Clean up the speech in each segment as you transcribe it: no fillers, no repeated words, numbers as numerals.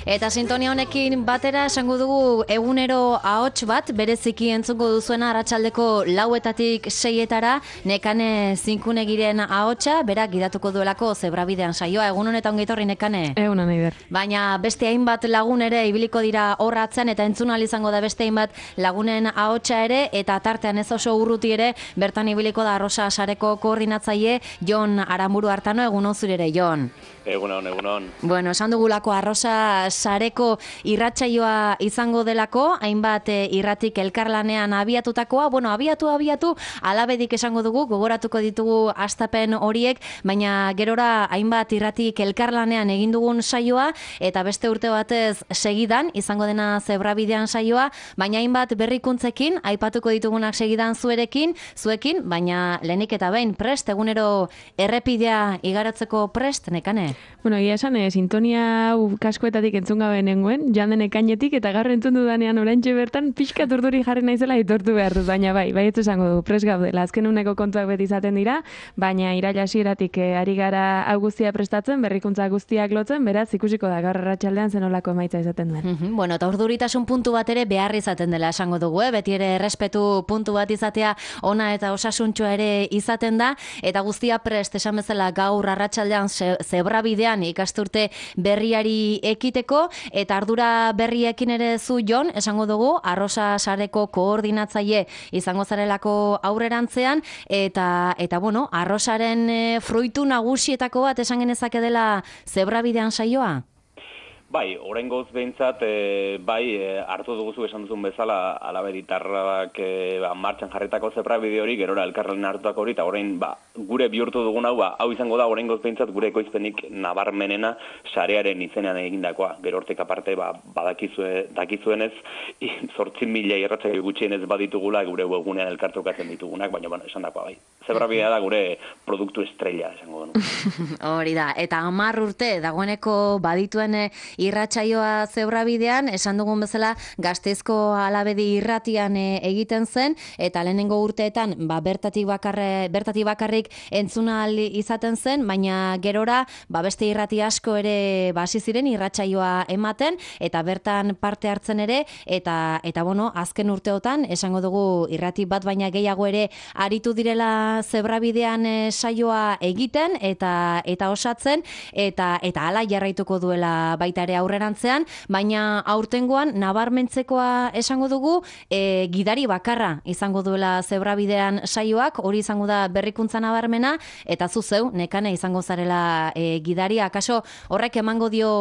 Eta sintonia honekin batera esango dugu egunero ahots bat, bereziki entzungo duzuena arratsaldeko 4:00 6:00 Nekane Zinkunegiren ahotsa, berak gidatuko duelako Zebrabidean saioa. Egun honetan ongi etorri Nekane. Egun hona Iber. Baina beste hainbat lagun ere ibiliko dira horratzen eta entzun ahal izango da beste hainbat lagunen ahotsa ere, eta tartean ez oso urruti ere bertan ibiliko da Arrosa sareko koordinatzaile Jon Aramburu Artano. Egun zure ere, Jon. Egunon. Bueno, esan dugulako Arrosa sareko irratsaioa izango delako, hainbat irratik elkarlanean abiatutakoa, bueno, abiatu, alabedik esango dugu, gogoratuko ditugu hastapen horiek, baina gerora hainbat irratik elkarlanean egin dugun saioa, eta beste urte batez segidan, izango dena Zebrabidean saioa, baina hainbat berrikuntzekin, aipatuko ditugunak segidan zuekin, baina lehenik eta behin prest, egunero errepidea igaratzeko prest, Nekane? Bueno, egia esan, sintonia kaskoetatik entzun gabe nengoen, joan den ekainetik, eta gaur entzun dudanean oraintxe bertan pixka turduri jarri naizela aitortu behar dut, baina bai ez esango du, prest gaudela, azken uneko kontuak beti izaten dira, baina iraila hasieratik ari gara hau guztia prestatzen, berrikuntza guztiak lotzen, beraz ikusiko da gaur arratsaldean zenolako emaitza izaten duen. Bueno, eta urduritasun puntu bat ere behar izaten dela esango dugu, beti ere errespetu puntu bat izatea ona eta osasuntxoa ere izaten da, eta guztia prest esan bezala gaur arratsaldean Zebrabidean ikasturte berriari ekiteko, eta ardura berriekin ere zu, Jon, esango dugu, Arrosa sareko koordinatzaile izango zarelako aurrerantzean, eta bueno, Arrosaren fruitu nagusietako bat esan genezake dela Zebrabidean saioa? Bai, oraingoz behintzat, hartu duguzu esan duzun bezala, alabeditarrak martxan jarritako Zebrabide hori, gerora elkarren hartuak hori, eta orain gure bihurtu dugun hau izango da oraingoz behintzat gure ekoizpenik nabarmenena sarearen izenean egindakoa. Gero hortik aparte, dakizuenez, 8.000 irratsaio gutxienez baditugula gure webgunean elkartrukatzen ditugunak, baina esan dakoa bai. Zebrabidea da gure produktu estrella, esango denu. Hori da, eta 10 urte dagoeneko badituen irratsaioa Zebrabidean, esan dugun bezala Gasteizko Alabedi irratian egiten zen, eta lehenengo urteetan bertatik bakarrik entzuna izaten zen, baina gerora beste irrati asko ere hasi ziren irratsaioa ematen, eta bertan parte hartzen ere, eta bueno, azken urteotan esango dugu irrati bat baina gehiago ere aritu direla Zebrabidean saioa egiten eta osatzen, eta hala jarraituko duela baita ere aurrerantzean, baina aurtengoan nabarmentzekoa esango dugu gidari bakarra izango duela Zebrabidean saioak, hori izango da berrikuntza nabarmena, eta zuzeu, Nekane, izango zarela gidaria. Akaso horrek emango dio,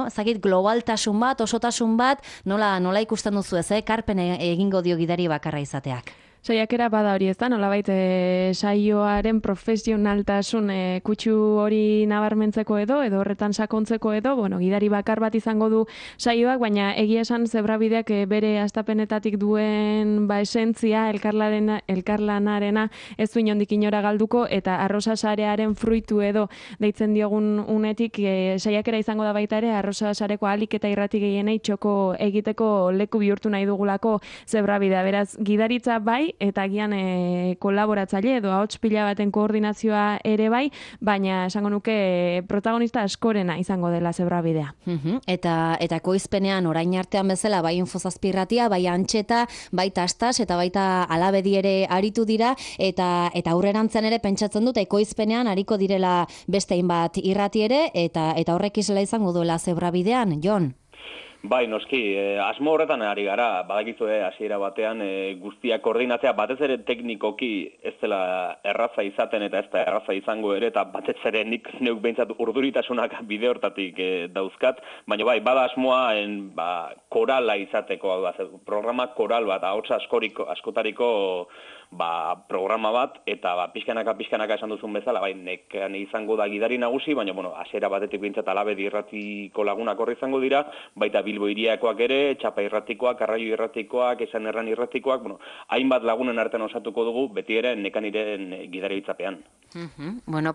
ezagit, globaltasun bat, osotasun bat, nola ikusten duzu ez, karpen egingo dio gidari bakarra izateak? Saiakera bada hori ez da, nolabait saioaren profesionaltasun kutsu hori nabarmentzeko edo horretan sakontzeko edo, gidari bakar bat izango du saioak, baina egia esan Zebrabideak bere hastapenetatik duen esentzia, elkarlanarena ez du inondik inora galduko, eta Arrosa sarearen fruitu edo deitzen diogun unetik saiakera izango da baita ere Arrosa sareko ahalik eta irrati gehienei txoko egiteko leku bihurtu nahi dugulako Zebrabidea. Beraz, gidaritza bai, eta agian kolaboratzaile edo ahots pila baten koordinazioa ere bai, baina esango nuke protagonista askorena izango dela Zebrabidea. Eta ekoizpenean orain artean bezala bai Infozazpirratia, bai Antxeta, bai Tastas eta baita Alabedi ere aritu dira, eta aurrerantzean ere pentsatzen dut ekoizpenean ariko direla beste hainbat irrati ere, eta horrek isla izango duela Zebrabidean, Jon? Bai, noski, asmo horretan ari gara, badakizue hasiera batean guztiak koordinatzea, batez ere teknikoki ez dela erraza izaten eta ez da erraza izango ere, eta batez ere neuk behintzat urduritasunak bide hortatik dauzkat, baina bai, bada asmoa korala izateko, programa koral bat, ahots askotariko programa bat, eta pixkanaka esan duzun bezala, Nekane izango da gidari nagusi, baina hasiera batetik behintzat Alabedi irratiko lagunak horri izango dira, baita Bilbo hiriakoak ere, Txapa irratikoak, Arraio irratikoak, Esan Erran irratikoak, hainbat lagunen artean osatuko dugu, beti ere Nekaniren gidari hitzapean.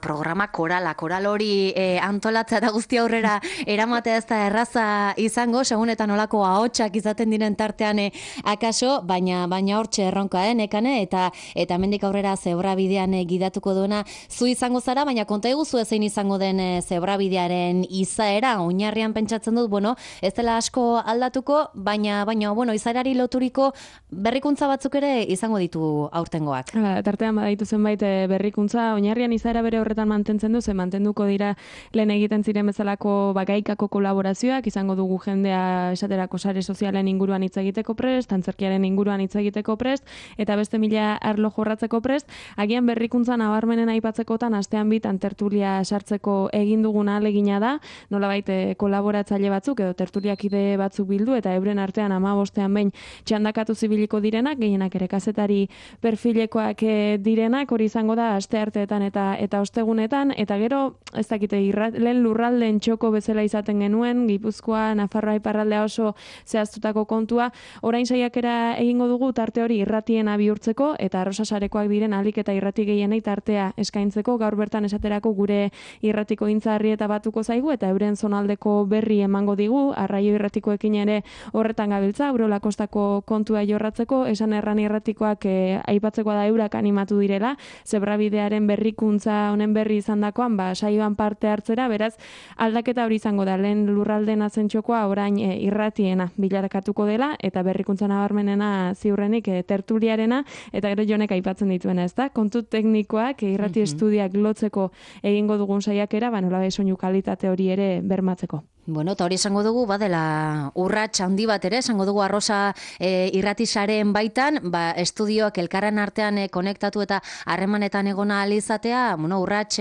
Programa koral hori antolatzea eta guzti aurrera eramatea ez da erraza izango, segun eta nolako ahotsak izaten diren tartean akaso, baina hortxe erronka, Nekane, eta gora eta hemendik aurrera zebrabidean gidatuko duena zu izango zara, baina konta iguzu zein izango den zebrabidearen izaera. Oinarrian pentsatzen dut, bueno, ez dela asko aldatuko, baina bueno, izaerari loturiko berrikuntza batzuk ere izango ditu aurtengoak. Tartean badaitu zenbait berrikuntza, oinarrian izaera bere horretan mantentzen du, ze mantenduko dira lehen egiten ziren bezalako gaikako kolaborazioak, izango dugu jendea esaterako sare sozialen inguruan hitz egiteko prest, antzerkiaren inguruan hitz egiteko prest, eta beste mila arlo jorratzeko prest. Agian berrikuntza nabarmenen aipatzekotan astean bitan tertulia sartzeko egin dugun ahalegina da, nolabait kolaboratzaile batzuk edo tertuliakide batzuk bildu eta euren artean 15ean behin txandakatu zibiliko direnak, gehienak ere kazetari perfilekoak direnak, hori izango da astearteetan eta ostegunetan, eta gero ez dakite lehen lurraldeen txoko bezala izaten genuen, Gipuzkoa, Nafarroa, iparraldea oso zehaztutako kontua, orain saiakera egingo dugu tarte hori irratiena bihurtzeko eta arrosasarekoak diren ahalik eta irrati gehienei tartea eskaintzeko. Gaur bertan esaterako gure irratiko intzarri eta batuko zaigu eta euren zonaldeko berri emango digu, Arraio irratikoekin ere horretan gabiltza, Urola Kostako kontua jorratzeko, esan erran irratikoak aipatzeko da eurak animatu direla, zebrabidearen berrikuntza honen berri izandakoan, saioan parte hartzera, beraz aldaketa hori izango da, lehen lurraldeen azentxokoa orain irratiena bilarakatuko dela, eta berrikuntza nabarmenena ziurrenik tertuliarena, eta gero Jonek aipatzen dituena, ez da? Kontu teknikoak irrati estudiak lotzeko egingo dugun saiakera, nola soinu kalitate hori ere bermatzeko. Bueno, eta hori esango dugu, badela urrats handi bat ere, esango dugu Arrosa irratisaren baitan, estudioak elkarren artean konektatu eta harremanetan egona alizatea, urrats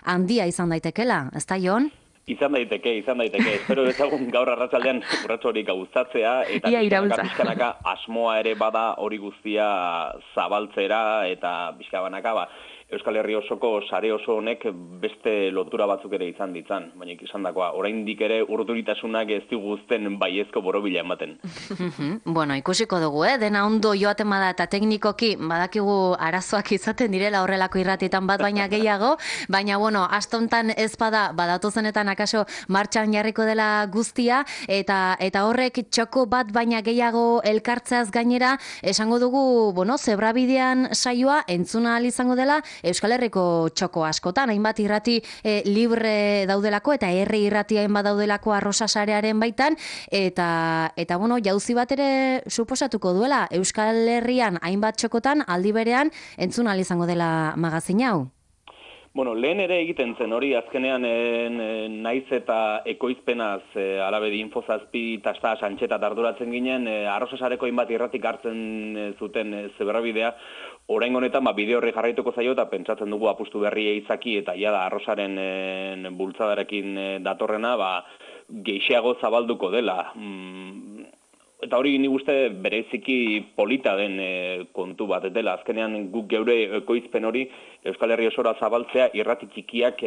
handia izan daitekela, ez da, Jon? Izan daiteke. Espero dezagun gaur arratsaldean urrats hori gauzatzea, eta pixkanaka asmoa ere bada hori guztia zabaltzera, eta pixkabanaka, Euskal Herri osoko sare oso honek beste lotura batzuk ere izan ditzan, baina izan dakoa, oraindik ere urduritasunak ez diguzten baiezko borobila ematen. Bueno, ikusiko dugu, dena ondo joaten bada eta teknikoki badakigu arazoak izaten direla horrelako irratietan bat baina gehiago, baina bueno, astontan ez badatozenetan akaso martxan jarriko dela guztia, eta horrek txoko bat baina gehiago elkartzeaz gainera, esango dugu, zebrabidean saioa entzuna ahal izango dela, Euskal Herriko txoko askotan, hainbat irrati libre daudelako eta herri irratia hainbat daudelako Arrosa sarearen baitan, eta jauzi bat ere suposatuko duela Euskal Herrian hainbat txokotan aldi berean entzun ahal izango dela magazin hau. Bueno, lehen ere egiten zen hori, azkenean naiz eta ekoizpenaz alabedi infozazpi tasta santxeta arduratzen ginen, Arrosa sareko hainbat irratik hartzen zuten zebrabidea, orain honetan bideo horri jarraituko zaio eta pentsatzen dugu apustu berria izaki eta jada Arrosaren bultzadarekin datorrena geixeago zabalduko dela. Eta hori nik uste bereziki polita den kontu bat dela. Azkenean guk geure ekoizpen hori Euskal Herri osora zabaltzea irrati txikiak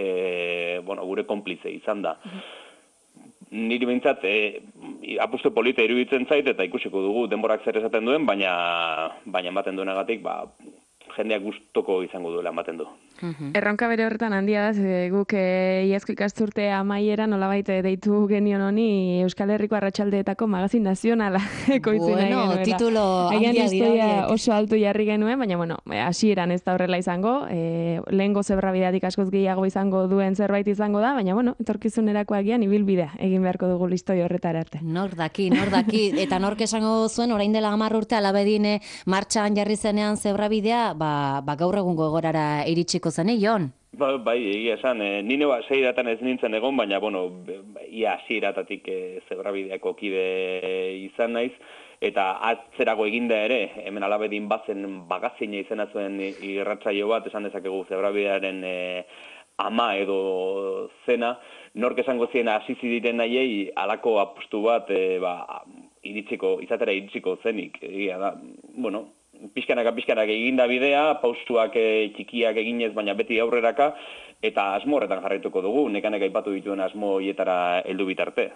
gure konplize izan da. Niri behintzat apustu polita iruditzen zait eta ikusiko dugu denborak zer esaten duen, baina ematen duenagatik jendeak gustoko izango duela ematen du. Erronka bere horretan handia da, guk iazko ikasturte amaiera nolabait deitu genion honi Euskal Herriko arratsaldeetako magazin nazionala ekoitzi nahi genuela. Bueno, titulo handia dira. Oso altu jarri genuen, baina hasieran ez da horrela izango, lehengo zebrabideatik askoz gehiago izango duen zerbait izango da, baina etorkizunerako agian ibilbidea egin beharko dugu listoi horretara arte. Nor daki, eta nork esango zuen orain dela 10 urte alabedin martxan jarri zenean zebrabidea, gaur egungo egorara iritsiko zen, Jon? Bai, egia esan, nire seiratan ez nintzen egon, baina, ia seiratatik zebrabideako kide izan naiz, eta atzerago eginda ere, hemen alabedin bazen magazina izena zuen irratsaio bat, esan dezakegu zebrabidearen ama edo zena, nork esango zien hasi diren nahiei halako apustu bat izatera iritsiko zenik, egia da, pixkanak eginda bidea, paustuak txikiak eginez, baina beti aurreraka, eta asmo horretan jarraituko dugu, nekanek aipatu dituen asmo hietara heldu bitarte.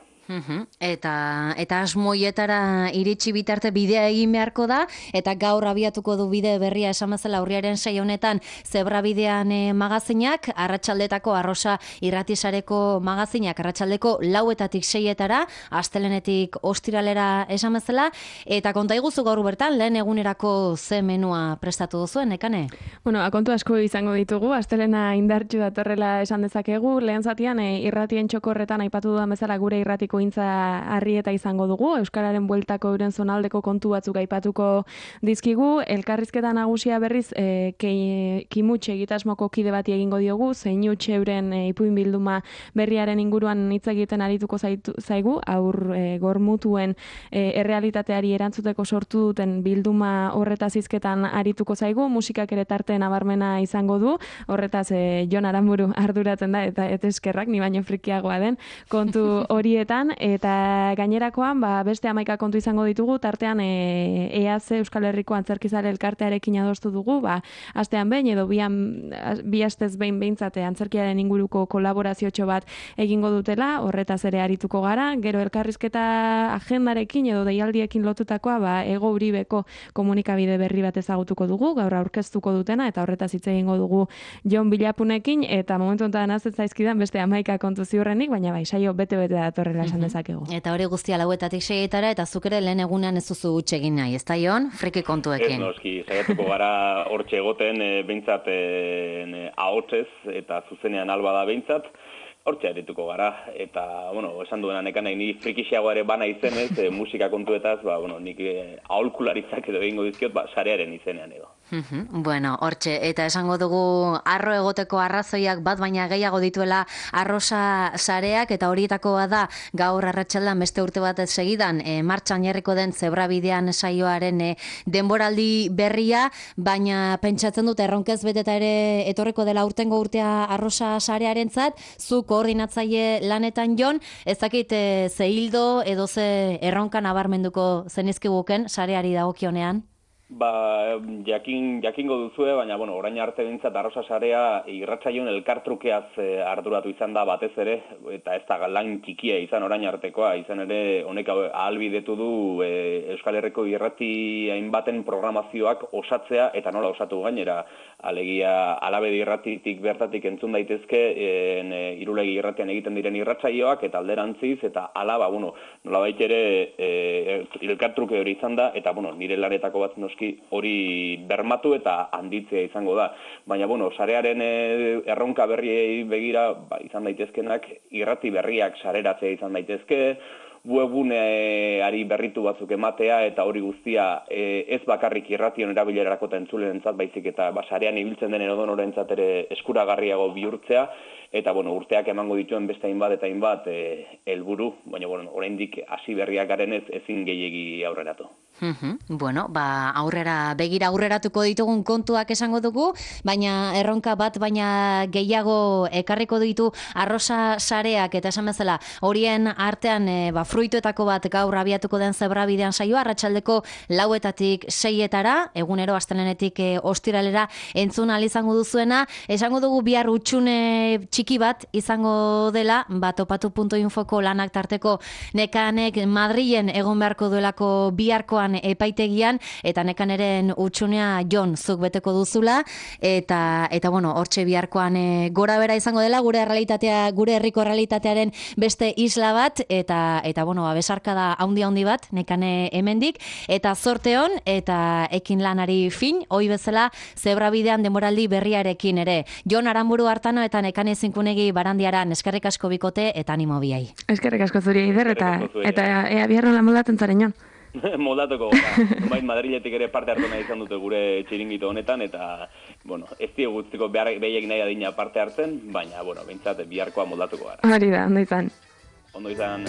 Eta asmoietara iritsi bitarte bidea egin beharko da, eta gaur abiatuko du bide berria esan bezala urriaren 6 honetan Zebrabidean magazinak, arratsaldetako Arrosa irratisareko magazinak, arratsaldeko 4etatik 6etara, astelenetik ostiralera esan bezala, eta konta iguzu gaur bertan, lehen egunerako ze menua prestatu duzuen, Nekane? Bueno, kontu asko izango ditugu, astelena indartsu datorrela esan dezakegu, lehen zatian irratien txokorretan aipatu dudan bezala gure irratiko intza harrieta izango dugu, Euskararen bueltako euren zonaldeko kontu batzuk aipatuko dizkigu, elkarrizketa nagusia berriz kimutxe egitasmoko kide bati egingo diogu, zeinutxe euren ipuin bilduma berriaren inguruan hitz egiten arituko zaigu, gormutuen errealitateari erantzuteko sortu duten bilduma horretaz hizketan arituko zaigu, musikak ere tarte nabarmena izango du, horretaz Jon Aramburu arduratzen da, eta eskerrak, ni baino frikiagoa den kontu horietan, eta gainerakoan beste 11 kontu izango ditugu, tartean EAC Euskal Herriko Antzerkizale elkartearekin adostu dugu, astean behin edo bi astez behin behintzate antzerkiaren inguruko kolaboraziotxo bat egingo dutela, horretaz ere arituko gara, gero elkarrizketa agendarekin edo deialdiekin lotutakoa, Ego Uribeko komunikabide berri bat ezagutuko dugu, gaur aurkeztuko dutena, eta horretaz hitz egingo dugu Jon Bilapunekin, eta momentu honetan ez zaizkidan beste 11 kontu ziurrenik, baina saio bete-bete datorrela esan dezakegu. Eta hori guztia 4etatik 6etara, eta zuk ere lehen egunean ez duzu huts egin nahi, ez da Jon? Friki kontuekin. Ez noski, saiatuko gara hortxe egoten behintzat ahotsez, eta zuzenean alba da behintzat, hortxe arituko gara, eta, esan duena Nekanek ni frikixeago ere bana izenez, musika kontuetaz, nik aholkularitzak edo egingo dizkiot, sarearen izenean edo. Bueno, hortxe, eta esango dugu arro egoteko arrazoiak bat baina gehiago dituela Arrosa sareak, eta horietakoa da gaur arratsaldean beste urte bat segidan martxan jarriko den Zebrabidean saioaren denboraldi berria, baina pentsatzen dut erronkez beteta ere etorriko dela urtengo urtea Arrosa sarearentzat, zu koordinatzaile lanetan Jon, ez dakit ze hildo edo ze erronka nabarmenduko zenizkiguken sareari dagokionean? Jakingo duzue, baina, orain arte bintzat Arrosa sarea irratsaion elkartrukeaz arduratu izan da batez ere, eta ez da lan txikia izan orain artekoa, izan ere honek ahalbidetu du Euskal Herriko irrati hainbaten programazioak osatzea, eta nola osatu gainera, alegia Alabedi irratitik bertatik entzun daitezke Irulegi irratian egiten diren irratsaioak, eta alderantziz, eta alaba, nolabait ere elkartruke hori izan da, eta nire lanetako bat noski hori bermatu eta handitzea izango da. Baina, sarearen erronka berriei begira izan daitezkenak, irrati berriak sareratzea izan daitezke, webuneari berritu batzuk ematea, eta hori guztia ez bakarrik irration erabilerarako eta entzulenentzat baizik, eta sarean ibiltzen den edonorentzat ere eskuragarriago bihurtzea, eta urteak emango dituen beste hainbat eta hainbat helburu, baina oraindik hasi berriak garenez ezin gehiegi aurreratu. Aurreratuko ditugun kontuak esango dugu, baina erronka bat baina gehiago ekarriko ditu Arrosa sareak, eta esan bezala horien artean fruituetako bat gaur abiatuko den Zebrabidean saioa, arratsaldeko 4etatik 6etara, egunero astelenetik ostiralera entzun ahal izango duzuena, esango dugu bihar hutsune txiki bat izango dela, topatu.infoko lanak tarteko Nekanek Madrilen egon beharko duelako biharkoan epaitegian, eta Nekaneren utxunea Jon zuk beteko duzula, eta hortxe biharkoan gora bera izango dela gure herriko realitatearen beste isla bat, eta besarkada handi bat Nekane hemendik, eta zorte on eta ekin lanari fin, hoi bezala Zebrabidean denboraldi berriarekin ere. Jon Aramburu Artano eta Nekane Zinkunegi Barandiaran, eskerrik asko bikote eta animo biai. Eskerrik asko zuri Eider, eta ea biharron la moldatzen zaren Jon. Moldatuko, Madriletik ere parte hartu nahi izan dute gure txiringito honetan, eta, ez diegutziko behiek nahi adina parte hartzen, baina, behintzat biharkoa moldatuko gara. Hori da, ondo izan. Ondo izan.